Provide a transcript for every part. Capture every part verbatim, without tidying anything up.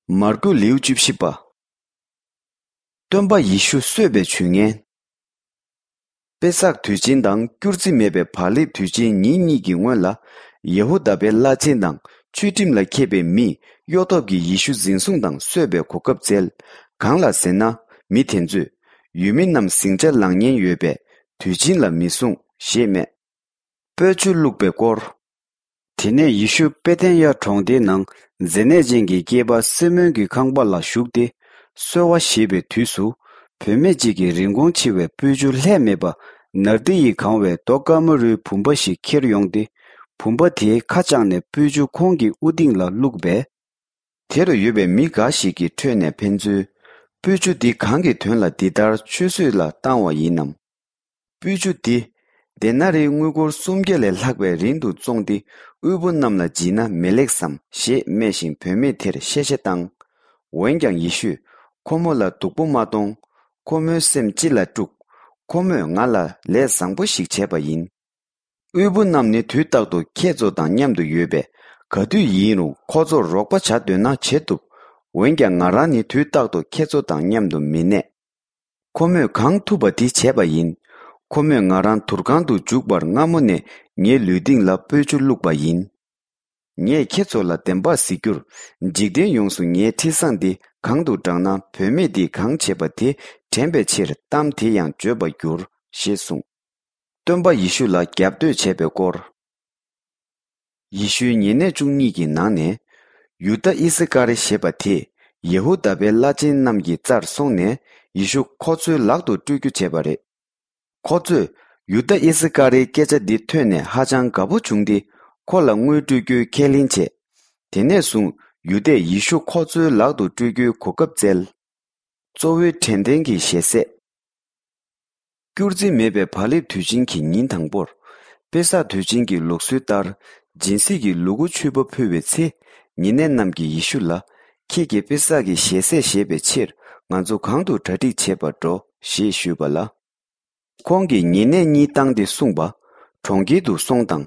མར་ཀུ་ལེའུ་བཅུ་བཞི་པ། སྟོན་པ་ཡེ་ཤུ་གསོད་པའི་ཇུས་ངན། པེ་སག་དུས་ཆེན་དང་སྐྱུར་རྩི་མེད་པའི་བག་ལེབ་དུས་ཆེན་ཉིན་གཉིས་ཀྱི་སྔོན་ལ། ཡེ་ཧུ་དཱ་པའི་བླ་ཆེན་དང་ཆོས་ཁྲིམས་ལ་མཁས་པའི་མིས་གཡོ་ཐབས་ཀྱིས་ཡེ་ཤུ་འཛིན་བཟུང་དང་གསོད་པའི་གོ་སྐབས་བཙལ། གང་ལགས་ཟེར་ན། མི་དེ་ཚོས་ཡུལ་མི་རྣམས་ཟིང་ཆ་ལངས་ཉེན་ཡོད་པས་དུས་ཆེན་ལ་མི་བཟུང་ཞེས་སྨྲས། སྤོས་ཆུ་བླུགས་པའི་སྐོར། དེ་ནས་ཡེ་ཤུ་པེ་ཐན་ཡ་གྲོང་སྡེའི་ནང་མཛེ་ནད་ཅན་གྱི་སྐྱེས་པ་སི་མོན་གྱི་ཁང་པ་ལ་ཞུགས་ཏེ། གསོལ་བ་བཞེས་པའི་དུས་སུ། བུད་མེད་ཅིག་གིས་རིན་གོང་ཆེ་བའི་སྤོས་ཆུ་ལྷད་མེད་པ་ནར་དི་ཡིས་གང་བའི་རྡོ་དཀར་མོ་རུའི་བུམ་པ་ཞིག་ཁྱེར་ཡོང་སྟེ། བུམ་པ་དེའི་ཁ་བཅག་ནས་སྤོས་ཆུ་ཁོང་གི་དབུ་སྟེང་ལ་བླུགས་པས། དེ་རུ་ཡོད་པའི་མི་འགའ་ཞིག་གི་ཁྲོད་ནས་ཕན་ཚུན། སྤོས་ཆུ་འདི་གང་གི་དོན་ལ་འདི་ལྟར་ཆུད་ཟོས་ལ་བཏང་བ་ཡིན་ནམ། སྤོས་ཆུ་འདི། དེ་ན་རིའི་དངུལ་སྒོར་སུམ་བརྒྱ་ལས་ལྷག་པའི་རིན་དུ་བཙོངས་ཏེ། དབུལ་པོ་རྣམས་ལ་བརྗེས་ན་མི་ལེགས་སམ་ཞེས་སྨྲས་ཤིང་། བུད་མེད་དེར་གཤེ་གཤེ་བཏང་། འོན་ཀྱང་ཡེ་ཤུས། ཁོ་མོ་ལ་སྡུག་པོ་མ་གཏོང་། ཁོ་མོའི་སེམས་ཅི་ལ་དཀྲུགས། ཁོ་མོས་ང་ལ་ལས་བཟང་པོ་ཞིག་བྱས་པ་ཡིན། དབུལ་པོ་རྣམས་ནི་དུས་རྟག་ཏུ་ཁྱེད་ཚོ་དང་མཉམ་དུ་ཡོད་པས། ག་དུས་ཡིན་རུང་ཁོ་ཚོར་རོགས་པ་བྱ་འདོད་ན་བྱེད་ཐུབ། འོན་ཀྱང་ང་རང་ནི་དུས་རྟག་ཏུ་ཁྱེད་ཚོ་དང་མཉམ་དུ་མི་གནས། ཁོ་མོས་གང་ཐུབ་པ་དེ་བྱས་པ་ཡིན། ཁོ་མོས་ང་རང་དུར་ཁང་དུ་འཇུག་པར་སྔ་མོ་ནས་ངའི་ལུས་སྟེང་ལ་སྤོས་ཆུ་བླུགས་པ་ཡིན། ངས་ཁྱེད་ཚོ་ལ་བདེན་པར་ཟེར་རྒྱུར། འཇིག་རྟེན་ཡོངས་སུ་ངའི་འཕྲིན་བཟང་འདི་གང་དུ་བསྒྲགས་ན། བུད་མེད་འདིས་གང་བྱས་པ་དེ་དྲན་པའི་ཕྱིར་གཏམ་དེ་ཡང་བརྗོད་པར་འགྱུར་ཞེས་གསུངས། སྟོན་པ་ཡེ་ཤུ་ལ་རྒྱབ་གཏོད་བྱས་པའི་སྐོར། ཡེ་ཤུའི་ཉེ་གནས་བཅུ་གཉིས་ཀྱི་ནང་ནས། ཡུ་དཱ་ཨི་སི་ཀ་རི་ཞེས་པ་དེས་ཡེ་ཧུ་དཱ་པའི་བླ་ཆེན་རྣམས་ཀྱི་རྩར་སོང་ནས། ཡེ་ཤུ་ཁོ་ཚོའི་ལག་ཏུ་སྤྲོད་རྒྱུ་བྱས་པ་རེད། ཁོ་ཚོས་ཡུ་དཱ་ཨི་སི་ཀ་རིའི་སྐད་ཆ་འདི་ཐོས་ནས་ཧ་ཅང་དགའ་པོ་བྱུང་སྟེ། ཁོ་ལ་དངུལ་སྤྲོད་རྒྱུའི་ཁས་ལེན་བྱས། དེ་ནས་བཟུང་ཡུ་དཱས་ཡེ་ཤུ་ཁོ་ཚོའི་ལག་ཏུ་སྤྲོད་རྒྱུའི་གོ་སྐབས་བཙལ། གཙོ་བོའི་དྲན་རྟེན་གྱི་ཞལ་ཟས། སྐྱུར་རྩི་མེད་པའི་བག་ལེབ་དུས་ཆེན་གྱི་ཉིན་དང་པོར། པེ་སག་དུས་ཆེན་གྱི་ལུགས་སྲོལ་ལྟར། སྦྱིན་སྲེག་གི་ལུ་གུ་མཆོད་པ་ཕུལ་བའི་ཚེ། ཉེ་གནས་རྣམས་ཀྱིས་ཡེ་ཤུ་ལ། ཁྱེད་ཀྱིས་པེ་སག་གི་ཞལ་ཟས་བཞེས་པའི་ཕྱིར། ང་ཚོ་གང་དུ་གྲ་སྒྲིག་བྱེད་པར་འགྲོ་ཞེས་ཞུས་པ་ལ། ཁོང་གིས་ཉེ་གནས་གཉིས་བཏང་སྟེ་གསུངས་པ། གྲོང་ཁྱེར་དུ་སོང་དང་།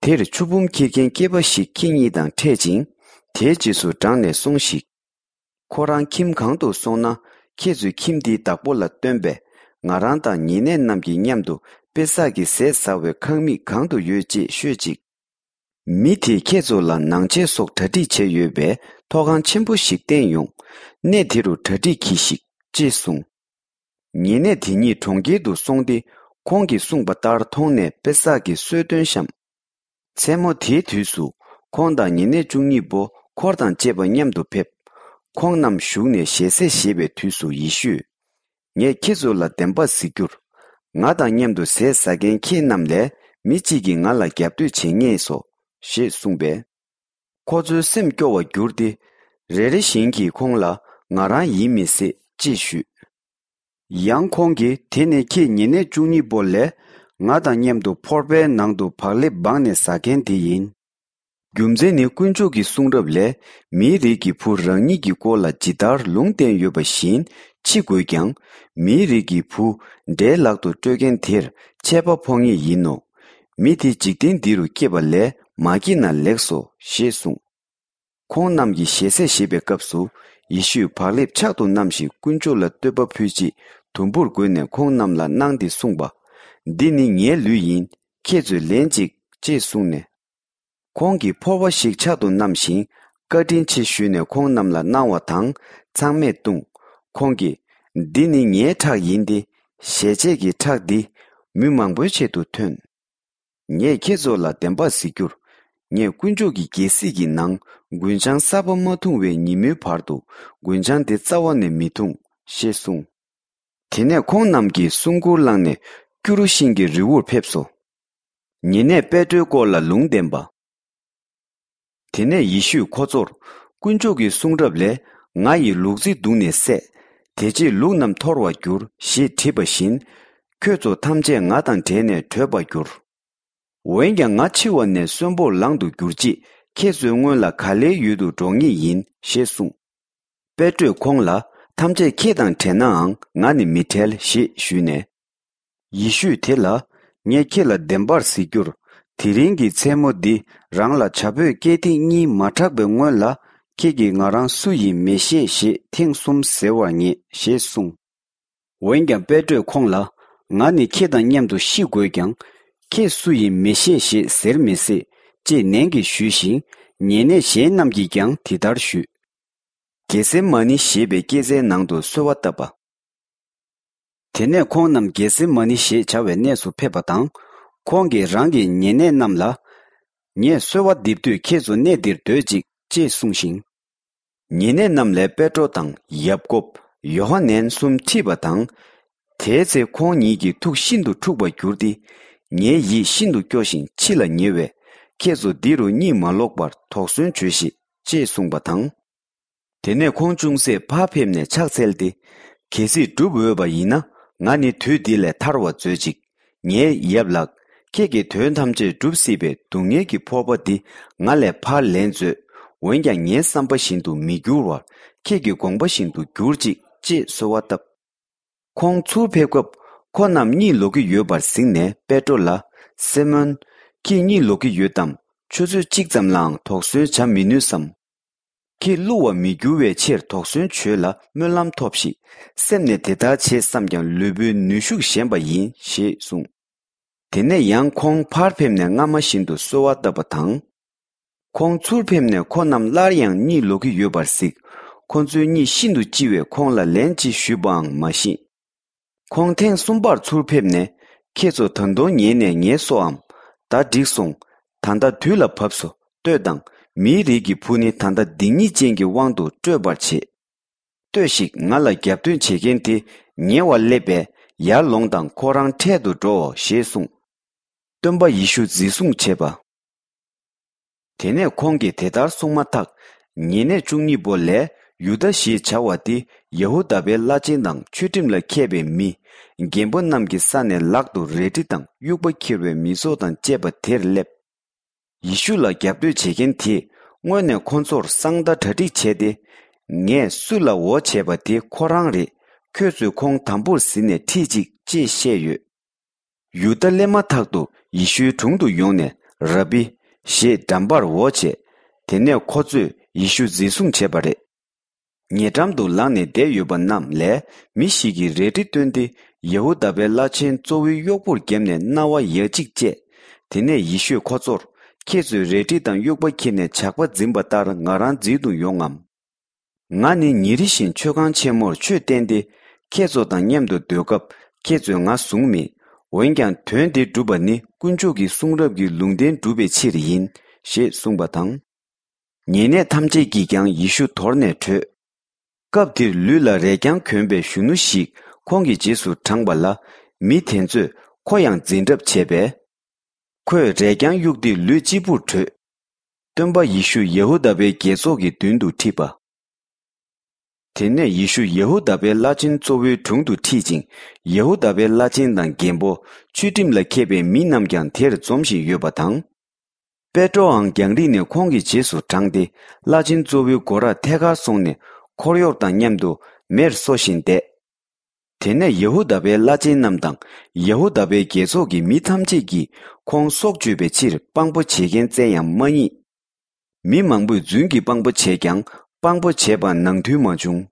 དེར་ཆུ་བུམ་འཁྱེར་མཁན་སྐྱེས་པ་ཞིག་ཁྱེད་གཉིས་དང་འཕྲད་ཅིང་། དེའི་རྗེས་སུ་འབྲངས་ནས་སོང་ཞིག་ཁོ་རང་ཁྱིམ་གང་དུ་སོང་ན། ཁྱེད་ཚོས་ཁྱིམ་དེའི་བདག་པོ་ལ་སྟོན་པས། ང་རང་དང་ཉེ་གནས་རྣམས་ཀྱིས་མཉམ་དུ་པེ་སག་གི་ཟས་ཟ་བའི་ཁང་མིག་གང་དུ་ཡོད་ཅེས་ཤོད་ཅིག་མི་དེས་ཁྱེད་ཚོ་ལ་ནང་ཆས་སོགས་གྲ་སྒྲིག་བྱས་ཡོད་པའི་ཐོག་ཁང་ཆེན་པོ་ཞིག་བསྟན་ཡོང་། གནས་དེ་རུ་གྲ་སྒྲིག་གྱིས་ཤིག་ཅེས་གསུངས། ཉེ་གནས་དེ་གཉིས་གྲོང་ཁྱེར་དུ་སོང་སྟེ། ཁོང་གིས་གསུངས་པ་ལྟར་མཐོང་ནས་པེ་སག་གི་གསོལ་སྟོན་བཤམས། མཚན་མོ་དེའི་དུས་སུ། ཁོང་དང་ཉེ་གནས་བཅུ་གཉིས་པོ་འཁོར་དང་བཅས་པ་མཉམ་དུ་ཕེབས། ཁོང་རྣམས་བཞུགས་ནས་ཞལ་ཟས་བཞེས་པའི་དུས་སུ་ཡེ་ཤུས། ངས་ཁྱེད་ཚོ་ལ་བདེན་པར་ཟེར་རྒྱུར། ང་དང་མཉམ་དུ་ཟས་ཟ་མཁན་ཁྱེད་རྣམས་ལས་མི་གཅིག་གིས་ང་ལ་རྒྱབ་གཏོད་བྱེད་ངེས་སོ། ཞེས་གསུངས་པས། ཁོ་ཚོའི་སེམས་སྐྱོ་བར་གྱུར་ཏེ། རེ་རེ་བཞིན་གྱིས་ཁོང་ལ་ང་རང་ཡིན་མི་སྲིད་ཅེས་ཞུས། ཡང་ཁོང་གིས་དེ་ནི་ཁྱེད་ཉེ་གནས་བཅུ་གཉིས་པོ་ལས། ང་དང་མཉམ་དུ་ཕོར་པའི་ནང་དུ་བག་ལེབ་སྦངས་ནས་ཟ་མཁན་དེ་ཡིན། རྒྱུ་མཚན་ནི་དཀོན་མཆོག་གི་གསུང་རབ་ལས། མིའི་རིགས་ཀྱི་བུ་རང་ཉིད་ཀྱི་སྐོར་ལ་ཇི་ལྟར་ལུང་བསྟན་ཡོད་པ་བཞིན་འཆི་དགོས་ཀྱང་། མིའི་རིགས་ཀྱི་བུ་འདྲེའི་ལག་ཏུ་སྤྲོད་མཁན་དེར་ཆད་པ་ཕོག་ངེས་ཡིན་ནོ། མི་དེ་འཇིག་རྟེན་འདི་རུ་སྐྱེས་པ་ལས་མ་སྐྱེས་ན་ལེགས་སོ་ཞེས་གསུངས། ཁོང་རྣམས་ཀྱིས་ཞལ་ཟས་བཞེས་པའི་སྐབས་སུ། ཡེ་ཤུས་བག་ལེབ་ཕྱག་ཏུ་བསྣམས་ཤིང་དཀོན་མཆོག་ལ་བསྟོད་པ་ཕུལ་རྗེས། དུམ་བུར་བགོས་ནས་ཁོང་རྣམས་ལ་གནང་སྟེ་གསུངས་པ། འདི་ནི་ངའི་ལུས་ཡིན། ཁྱེད་ཚོས་ལེན་ཅིག་ཅེས་གསུངས་ནས། ཁོང་གིས་ཕོར་པ་ཞིག་ཕྱག་ཏུ་བསྣམས་ཤིང་། བཀའ་དྲིན་ཆེ་ཞུས་ནས་ཁོང་རྣམས་ལ་གནང་བ་དང་། ཚང་མས་བཏུངས། ཁོང་གིས། འདི་ནི་ངའི་ཁྲག་ཡིན་ཏེ། ཞལ་ཆད་ཀྱི་ཁྲག་འདི། མི་མང་པོའི་ཆེད་དུ་ཐོན། ངས་ཁྱེད་ཚོ་ལ་བདེན་པར་ཟེར་རྒྱུར། ངས་དཀོན་མཆོག་གི་རྒྱལ་སྲིད་ཀྱི་ནང་རྒུན་ཆང་གསར་པ་མ་འཐུང་བའི་ཉིན་མོའི་བར་དུ་རྒུན་ཆང་དེ་རྩ་བ་ནས་མི་འཐུང་ཞེས་གསུངས། དེ་ནས་ཁོང་རྣམས་ཀྱིས་སྲུང་འཁོར་བསླངས་ནས་སྐྱུ་རུ་ཤིང་གི་རི་བོར་ཕེབས་སོ། ཉེ་གནས་པེ་ཏྲོའི་སྐོར་ལ་ལུང་བསྟན་པ། དེ་ནས་ཡེ་ཤུས་ཁོ་ཚོར། དཀོན་མཆོག་གི་གསུང་རབ་ལས། ང་ཡི་ལུག་རྫི་བརྡུངས་ནས་བསད། དེ་རྗེས་ལུག་རྣམས་འཐོར་བར་འགྱུར་ཞེས་བྲིས་པ་བཞིན། ཁྱོད་ཚོ་ཐམས་ཅད་ང་དང་བྲལ་ནས་བྲོས་པར་འགྱུར། འོན་ཀྱང་ང་འཆི་བ་ནས་གསོན་པོར་ལང་དུ་གྱུར་རྗེས། ཁྱེད་ཚོའི་སྔོན་ལ་ག་ལེའི་ཡུལ་དུ་འགྲོ་ངེས་ཡིན་ཞེས་གསུངས། པེ་ཏྲོས་ཁོང་ལ། ཐམས་ཅད་ཁྱེད་དང་བྲལ་ནའང་ང་ནི་མི་བྲལ་ཞེས་ཞུས་ནས། ཡེ་ཤུས་དེ་ལ། ངས་ཁྱེད་ལ་བདེན་པར་ཟེར་རྒྱུར། དེ་རིང་གི་མཚན་མོ་འདི་རང་ལ་བྱ་ཕོས་སྐྱེས་ཐིག་གཉིས་མ་གྲགས་པའི་སྔོན་ལ། ཁྱེད་ཀྱིས་ང་རང་སུ་ཡིན་མི་ཤེས་ཞེས་ཐེངས་གསུམ་ཟེར་བར་ངེས་ཞེས་གསུངས། འོན་ཀྱང་པེ་ཏྲོས་ཁོང་ལ། ང་ནི་ཁྱེད་དང་མཉམ་དུ་ཤི་དགོས་ཀྱང་། ཁྱེད་སུ་ཡིན་མི་ཤེས་ཞེས་ཟེར་མི་སྲིད། ཅེས་ནན་གྱིས་ཞུས་ཤིང་། ཉེ་གནས་གཞན་རྣམས་ཀྱིས་ཀྱང་དེ་ལྟར་ཞུས། གེ་སེ་མ་ནི་ཞེས་པའི་སྐྱེད་ཚལ་ནང་དུ་གསོལ་བ་བཏབ་པ། དེ་ནས་ཁོང་རྣམས་གེ་སེ་མ་ནི་ཞེས་བྱ་བའི་གནས་སུ་ཕེབས་པ་དང་། ཁོང་གིས་རང་གི་ཉེ་གནས་རྣམས་ལ། ངས་གསོལ་བ་འདེབས་དུས་ཁྱེད་ཚོ་གནས་འདིར་སྡོད་ཅིག་ཅེས་གསུངས་ཤིང་། ཉེ་གནས་རྣམས་ལས་པེ་ཏྲོ་དང་ཡབ་ཀོབ། ཡོ་ཧ་ནན་གསུམ་ཁྲིད་པ་དང་། དེའི་ཚེ་ཁོང་ཉིད་ཀྱི་ཐུགས་ཤིན་ཏུ་འཁྲུགས་པར་གྱུར་ཏེ། ངའི་ཡིད་ཤིན་ཏུ་སྐྱོ་ཞིང་འཆི་ལ་ཉེ་བས། ཁྱེད་ཚོ་འདི་རུ་གཉིད་མ་ལོག་པར་དོགས་ཟོན་བྱོས་ཤིག་ཅེས་གསུངས་པ་དང་། དེ་ནས་ཁོང་ཅུང་ཟད་ཕར་ཕེབས་ནས་ཕྱག་འཚལ་ཏེ། གལ་སྲིད་འགྲུབ་འོས་པ་ཡིན་ན། ང་ནི་དུས་འདི་ལས་ཐར་བར་མཛོད་ཅིག་ངའི་ཡབ་ལགས། ཁྱེད་ཀྱི་དོན་ཐམས་ཅད་འགྲུབ་སྲིད་པའི་སྡུག་བསྔལ་གྱི་ཕོར་པ་འདི་ང་ལས་ཕར་ལེན་མཛོད། འོན་ཀྱང་ངའི་བསམ་པ་བཞིན་དུ་མི་འགྱུར་བར། ཁྱེད་ཀྱི་དགོངས་པ་བཞིན་དུ་གྱུར་ཅིག་ཅེས་གསོལ་བ་བཏབ། ཁོང་ཚུར་ཕེབས་སྐབས། ཁོ་རྣམས་གཉིད་ལོག་གི་ཡོད་པར་གཟིགས་ནས་པེ་ཏྲོ་ལ། སི་མོན། ཁྱེད་གཉིད་ལོག་གི་ཡོད་དམ། ཆུ་ཚོད་གཅིག་ཙམ་ལའང་དོགས་ཟོན་བྱ་མི་ནུས་སམ། ཁྱེད་བསླུ་བར་མི་འགྱུར་བའི་ཕྱིར་དོགས་ཟོན་བྱོས་ལ་སྨོན་ལམ་ཐོབས་ཤིག་སེམས་ནས་དེ་ལྟར་བྱེད་བསམ་ཀྱང་ལུས་པོའི་ནུས་ཤུགས་ཞན་པ་ཡིན་ཞེས་གསུངས། དེ་ནས་ཡང་ཁོང་ཕར་ཕེབས་ནས་སྔ་མ་བཞིན་དུ་གསོལ་བ་བཏབ་པ་དང་། ཁོང་ཚུར་ཕེབས་ནས་ཁོ་རྣམས་སླར་ཡང་གཉིད་ལོག་གི་ཡོད་པར་གཟིགས། ཁོ་ཚོའི་གཉིད་ཤིན་ཏུ་ལྕི་བས་ཁོང་ལ་ལན་ཅི་ཞུས་པའང་མ་ཤེས། ཁོང་ཐེངས་གསུམ་པར་ཚུར་ཕེབས་ནས། ཁྱེད་ཚོ་ད་དུང་ཉལ་ནས་ངལ་གསོའམ། ད་འགྲིག་སོང་། ད་ལྟ་དུས་ལ་བབས་སོ། ལྟོས་དང་། མིའི་རིགས་ཀྱི་བུ་ནི་ད་ལྟ་སྡིག་ཉེས་ཅན་གྱི་དབང་དུ་སྤྲོད་པར་བྱེད། ལྟོས་ཤིག་ང་ལ་རྒྱབ་སྟོན་བྱེད་མཁན་དེ་ཉེ་བར་སླེབས་པས། ཡར་ལོངས་དང་ཁོ་རང་འཕྲལ་དུ་འགྲོའོ་ཞེས་གསུངས། སྟོན་པ་ཡེ་ཤུ་འཛིན་བཟུང་བྱས་པ། དེ་ནས་ཁོང་གིས་དེ་ལྟར་གསུངས་མ་ཐག་ཉེ་གནས་བཅུ་གཉིས་པོ་ལས་ཡུ་དཱ་ཞེས་བྱ་བ་དེ་ཡ་ཧུ་དཱ་པའི་བླ་ཆེན་དང་ཆོས་ཁྲིམས་ལ་མཁས་པའི་མི། རྒན་པོ་རྣམས་ཀྱི་ས་ནས་ལག་ཏུ་རལ་གྲི་དང་དབྱུག་པ་འཁྱེར་བའི་མི་ཚོགས་དང་བཅས་པ་དེར་སླེབས། ཡེ་ཤུ་ལ་རྒྱབ་གཏོད་བྱེད་མཁན་དེས་སྔོན་ནས་ཁོ་ཚོར་གསང་བརྡ་གྲ་སྒྲིག་བྱས་ཏེ། ངས་སུ་ལ་འོ་བྱས་པ་དེ་ཁོ་རང་རེད། ཁྱོད་ཚོས་ཁོང་དམ་པོར་ཟིན་ནས་ཁྲིད་ཅིག་ཅེས་བཤད་ཡོད། ཡུ་དཱ་སླེབས་མ་ཐག་ཏུ་ཡེ་ཤུའི་དྲུང་དུ་ཡོང་ནས་ར་བི། ཞེས་འགྲམ་པར་འོ་བྱས། དེ་ནས་ཁོ་ཚོས་ཡེ་ཤུ་འཛིན་བཟུང་བྱས་པ་རེད། ཉེ་འགྲམ་དུ་ལངས་ནས་བསྡད་ཡོད་པ་རྣམས་ལས་མི་ཞིག་གིས་རལ་གྲི་བཏོན་ཏེ་ཡ་ཧུ་དཱ་པའི་བླ་ཆེན་གཙོ་བོའི་གཡོག་པོར་བརྒྱབ་ནས་རྣ་བ་ཡ་གཅིག་བཅད། དེ་ནས་ཡེ་ཤུས་ཁོ་ཚོར། ཁྱེད་ཚོས་རལ་གྲི་དང་དབྱུག་པ་འཁྱེར་ནས་ཇག་པ་འཛིན་པ་ལྟར་ང་རང་འཛིན་དུ་ཡོང་ངམ། ང་ནི་ཉིན་རེ་བཞིན་མཆོད་ཁང་ཆེན་མོར་ཆོས་བསྟན་ཏེ། ཁྱེད་ཚོ་དང་མཉམ་དུ་སྡོད་སྐབས་ཁྱེད་ཚོས་ང་བཟུང་མེད། འོན་ཀྱང་དོན་འདི་སྒྲུབ་པ་ནི་དཀོན་མཆོག་གི་གསུང་རབ་ཀྱི་ལུང་བསྟན་སྒྲུབ་པའི་ཕྱིར་ཡིན། ཞེས་གསུངས་པ་དང་། ཉེ་གནས་ཐམས་ཅད་ཀྱིས་ཀྱང་ཡེ་ཤུ་དོར་ནས་བྲོས། སྐབས་དེར་ལུས་ལ་རས་རྐྱང་གྱོན་པའི་གཞོན་ནུ་ཞིག་ཁོང་གི་རྗེས་སུ་འབྲངས་པ་ལ། མི་དེ་ཚོས་ཁོ་ཡང་འཛིན་གྲབས་བྱས་པས། ཁོས་རས་རྐྱང་གཡུགས་ཏེ་ལུས་གཅིག་པུར་བྲོས། སྟོན་པ་ཡེ་ཤུ་ཡ་ཧུ་དཱ་པའི་རྒྱལ་ཚོགས་ཀྱི་མདུན་དུ་ཁྲིད་པ། དེ་ནས་ཡེ་ཤུ་ཡ་ཧུ་དཱ་པའི་བླ་ཆེན་གཙོ་བོའི་དྲུང་དུ་ཁྲིད་ཅིང་། ཡ་ཧུ་དཱ་པའི་བླ་ཆེན་དང་རྒན་པོ། ཆོས་ཁྲིམས་ལ་མཁས་པའི་མི་རྣམས་ཀྱང་དེར་འཛོམས་བཞིན་ཡོད་པ་དང་། པེ་ཏྲོའང་རྒྱང་རིང་ནས་ཁོང་གི་རྗེས་སུ་འབྲངས་ཏེ། བླ་ཆེན་གཙོ་བོའི་སྒོ་རར་ཐད་ཀར་སོང་ནས། འཁོར་གཡོག་དང་མཉམ་དུ་མེར་གསོ་བཞིན་བསྡད། དེ་ནས་ཡ་ཧུ་དཱ་པའི་བླ་ཆེན་རྣམས་དང་། ཡ་ཧུ་དཱ་པའི་རྒྱལ་ཚོགས་ཀྱི་མི་ཐམས་ཅད་ཀྱིས་ཁོང་སྲོག་གཅོད་པའི་ཕྱིར་དཔང་པོ་བྱེད་མཁན་བཙལ་ཡང་མ་རྙེད། མི་མང་པོས་རྫུན་གྱི་དཔང་པོ་བྱས་ཀྱང་། དཔང་པོ་བྱས་པ་ནང་མཐུན་མ་བྱུང་།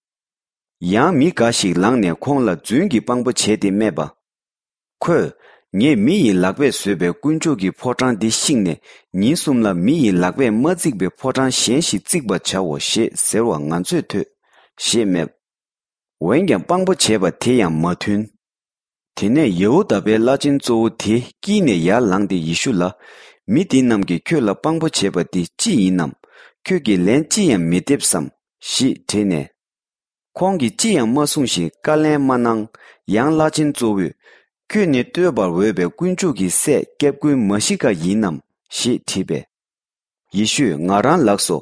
ཡང་མི་འགའ་ཞིག་ལངས་ནས་ཁོང་ལ་རྫུན་གྱི་དཔང་པོ་བྱས་ཏེ་སྨྲས་པ། ཁོས། ངས་མི་ཡི་ལག་པས་བཟོས་པའི་དཀོན་མཆོག་གི་ཕོ་བྲང་འདི་བཤིག་ནས། ཉིན་གསུམ་ལ་མི་ཡི་ལག་པས་མ་བརྩིགས་པའི་ཕོ་བྲང་གཞན་ཞིག་བརྩིག་པར་བྱའོ་ཞེས་ཟེར་བ་ང་ཚོས་ཐོས། ཞེས་སྨྲས། འོན་ཀྱང་དཔང་པོ་བྱས་པ་དེ་ཡང་མ་མཐུན། དེ་ནས་ཡ་ཧུ་དཱ་པའི་བླ་ཆེན་གཙོ་བོ་དེ་དཀྱིལ་ནས་ཡར་ལངས་ཏེ་ཡེ་ཤུ་ལ། མི་འདི་རྣམས་ཀྱིས་ཁྱོད་ལ་དཔང་པོ་བྱས་པ་འདི་ཅི་ཡིན་ནམ། ཁྱོད་ཀྱིས་ལན་ཅི་ཡང་མི་འདེབས་སམ། ཞེས་དྲིས་ནས། ཁོང་གིས་ཅི་ཡང་མ་གསུངས་ཤིང་བཀའ་ལན་མ་གནང་། ཡང་བླ་ཆེན་གཙོ་བོས། ཁྱོད་ནི་བསྟོད་པར་འོས་པའི་དཀོན་མཆོག་གི་སྲས་སྐྱབས་མགོན་མ་ཤི་ཀ་ཡིན་ནམ། ཞེས་དྲིས་པས། ཡེ་ཤུས། ང་རང་ལགས་སོ།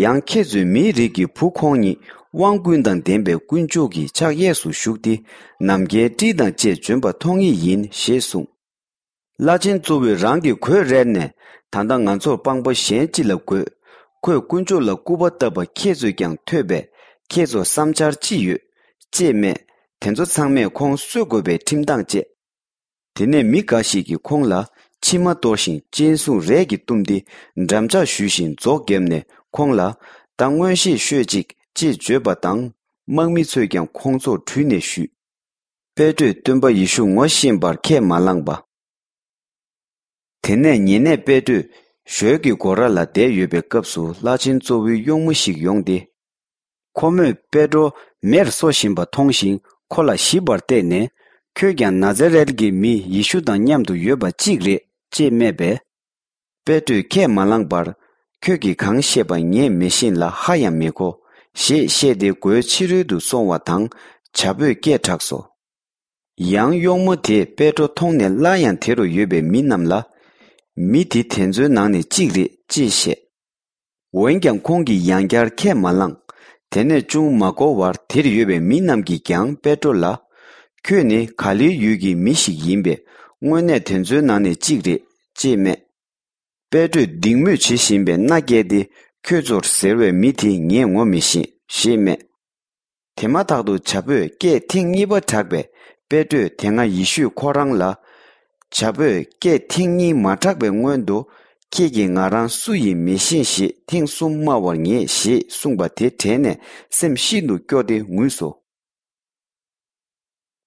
ཡང་ཁྱེད་ཚོས་མིའི་རིགས་ཀྱི་བུ་ཁོང་ཉིད་དབང་ཀུན་དང་ལྡན་པའི་དཀོན་མཆོག་གི་ཕྱག་གཡས་སུ་བཞུགས་ཏེ། ནམ་མཁའི་སྤྲིན་དང་བཅས་བྱོན་པ་མཐོང་ངེས་ཡིན། ཞེས་གསུངས། བླ་ཆེན་གཙོ་བོས་རང་གི་གོས་རལ་ནས། ད་ལྟ་ང་ཚོར་དཔང་པོ་གཞན་ཅི་ལ་དགོས། ཁོས་དཀོན་མཆོག་ལ་སྐུར་པ་བཏབ་པ་ཁྱེད་ཚོས་ཀྱང་ཐོས་པས། ཁྱེད་ཚོར་བསམ་འཆར་ཅི་ཡོད། ཅེས་སྨྲས། དེ་ཚོ་ཚང་མས་ཁོང་གསོད་དགོས་པའི་ཁྲིམས་ཐག་བཅད། དེ་ནས་མི་འགའ་ཞིག་གིས་ཁོང་ལ་མཆིལ་མ་གཏོར་ཞིང་སྤྱན་ཟུང་རས་ཀྱིས་བཏུམས་ཏེ། འགྲམ་ལྕག་གཞུས་ཤིང་རྫོགས་བརྒྱབ་ནས་ཁོང་ལ། ད་མངོན་ཤེས་ཤོད་ཅིག་ཅེས་བརྗོད་པ་དང་། དམག་མི་ཚོས་ཀྱང་ཁོང་ཚོར་དྲུད་ནས་བཞུད། པེ་ཏྲོས་སྟོན་པ་ཡེ་ཤུ་ངོ་ཤེས་པར་ཁས་མ་བླངས་པ། དེ་ནས་ཉེ་གནས་པེ་ཏྲོས་ཞོལ་གྱི་སྒོ་ར་ལ་བསྡད་ཡོད་པའི་སྐབས་སུ། བླ་ཆེན་གཙོ་བོའི་གཡོག་མོ་ཞིག་ཡོང་སྟེ། ཁོ་མོས་པེ་ཏྲོ་མེར་གསོ་བཞིན་པ་མཐོང་ཞིང་། ཁོ་ལ་ཞིབ་པར་བལྟས་ནས། ཁྱོད་ཀྱང་ན་ཛ་རེད་ཀྱི་མི་ཡེ་ཤུ་དང་མཉམ་དུ་ཡོད་པ་གཅིག་རེད་ཅེས་སྨྲས་པས། པེ་ཏྲོས་ཁས་མ་བླངས་པར། ཁྱོད་ཀྱིས་གང་བཤད་པ་ངས་མི་ཤེས་ལ་ཧ་ཡང་མི་གོ། ཞེས་བཤད་དེ་སྒོའི་ཕྱི་རོལ་དུ་སོང་བ་དང་། བྱ་ཕོས་སྐད་གྲགས་སོ། ཡང་གཡོག་མོ་དེས་པེ་ཏྲོ་མཐོང་ནས། སླར་ཡང་དེ་རུ་ཡོད་པའི་མི་རྣམས་ལ། མི་དེ་དེ་ཚོའི་ནང་ནས་གཅིག་རེད་ཅེས་བཤད། འོན་ཀྱང་ཁོང་གིས་ཡང་བསྐྱར་ཁས་མ་བླངས། དེ་ནས་ཅུང་མ་འགོར་བར། དེར་ཡོད་པའི་མི་རྣམས་ཀྱིས་ཀྱང་པེ་ཏྲོ་ལ། ཁྱོད་ནི་ག་ལིལ་ཡུལ་གྱི་མི་ཞིག་ཡིན་པས། དངོས་གནས་དེ་ཚོའི་ནང་ནས་གཅིག་རེད་ཅེས་སྨྲས། པེ་ཏྲོས་སྡིགས་དམོད་བྱེད་བཞིན་པའི་མནའ་བསྐྱལ་ཏེ། ཁྱོད་ཚོར་ཟེར་བའི་མི་དེ་ངས་ངོ་མི་ཤེས་ཞེས་སྨྲས། དེ་མ་ཐག་ཏུ་བྱ་ཕོས་སྐད་ཐེངས་གཉིས་པ་བསྒྲགས་པས། པེ་ཏྲོས་དེ་སྔ་ཡེ་ཤུས་ཁོ་རང་ལ། བྱ་ཕོས་སྐད་ཐེངས་གཉིས་མ་བསྒྲགས་པའི་སྔོན་དུ། ཁྱེད་ཀྱིས་ང་རང་སུ་ཡིན་མི་ཤེས་ཞེས་ཐེངས་གསུམ་སྨྲ་བར་ངེས་ཞེས་གསུངས་པ་དེ་དྲན་ནས། སེམས་ཤིན་ཏུ་སྐྱོ་སྟེ་ངུས་སོ།